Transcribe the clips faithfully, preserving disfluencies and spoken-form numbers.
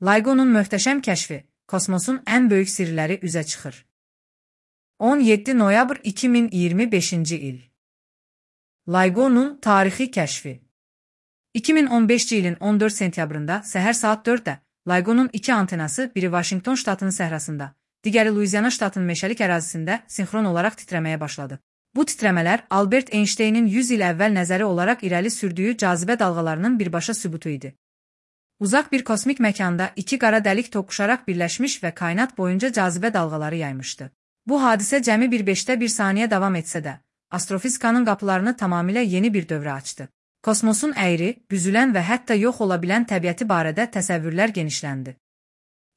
LIGO'nun möhtəşəm kəşfi, kosmosun ən böyük sirləri üzə çıxır. on yeddi noyabr iki min iyirmi beşinci il. LIGO'nun tarixi kəşfi. iki min on beşinci ilin on dörd sentyabrında səhər saat dörddə LIGO'nun iki antenası, biri Vaşinqton ştatının səhrasında, digəri Luiziana ştatının meşəlik ərazisində sinxron olaraq titrəməyə başladı. Bu titrəmələr Albert Einsteynin yüz il əvvəl nəzəri olaraq irəli sürdüyü cazibə dalğalarının birbaşa sübutu idi. Uzaq bir kosmik məkanda iki qara dəlik toqquşaraq birləşmiş və kainat boyunca cazibə dalğaları yaymışdı. Bu hadisə cəmi bir beşdə bir saniyə davam etsə də, astrofizikanın qapılarını tamamilə yeni bir dövrə açdı. Kosmosun əyri, büzülən və hətta yox ola bilən təbiəti barədə təsəvvürlər genişləndi.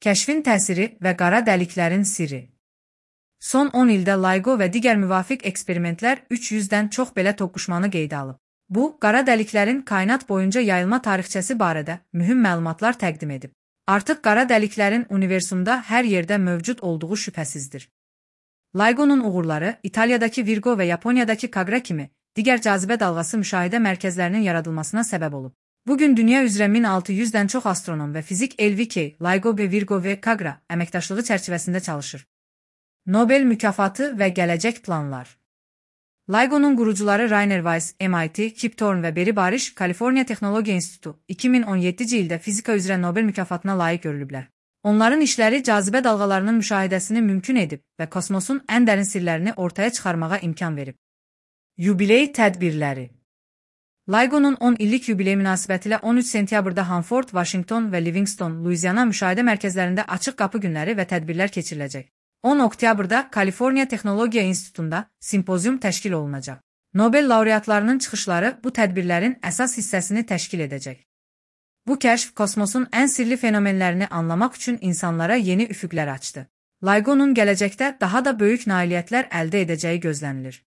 Kəşfin təsiri və qara dəliklərin sirri. Son on ildə LIGO və digər müvafiq eksperimentlər üç yüzdən çox belə toqquşmanı qeydə alıb. Bu, qara dəliklərin kainat boyunca yayılma tarixçəsi barədə mühüm məlumatlar təqdim edib. Artıq qara dəliklərin universumda hər yerdə mövcud olduğu şübhəsizdir. LIGO'nun uğurları İtaliyadakı Virgo və Yaponiyadakı Kagra kimi digər cazibə dalğası müşahidə mərkəzlərinin yaradılmasına səbəb olub. Bugün dünya üzrə min altı yüzdən çox astronom və fizik L V K, LIGO və Virgo və Kagra əməkdaşlığı çərçivəsində çalışır. Nobel mükafatı və gələcək planlar. LIGO'nun qurucuları Rainer Weiss, M I T, Kip Thorne və Barry Barish, Kaliforniya Texnologiya İnstitutu iki min on yeddinci ildə fizika üzrə Nobel mükafatına layiq görülüblər. Onların işləri cazibə dalğalarının müşahidəsini mümkün edib və kosmosun ən dərin sirlərini ortaya çıxarmağa imkan verib. Yubiley tədbirləri. LIGO'nun on illik yubiley münasibətilə on üç sentyabrda Hanford, Vaşinqton və Livingston, Luiziana müşahidə mərkəzlərində açıq qapı günləri və tədbirlər keçiriləcək. on oktyabrda Kaliforniya Texnologiya İnstitutunda simpozium təşkil olunacaq. Nobel laureatlarının çıxışları bu tədbirlərin əsas hissəsini təşkil edəcək. Bu kəşf kosmosun ən sirli fenomenlərini anlamaq üçün insanlara yeni üfüqlər açdı. LIGO'nun gələcəkdə daha da böyük nailiyyətlər əldə edəcəyi gözlənilir.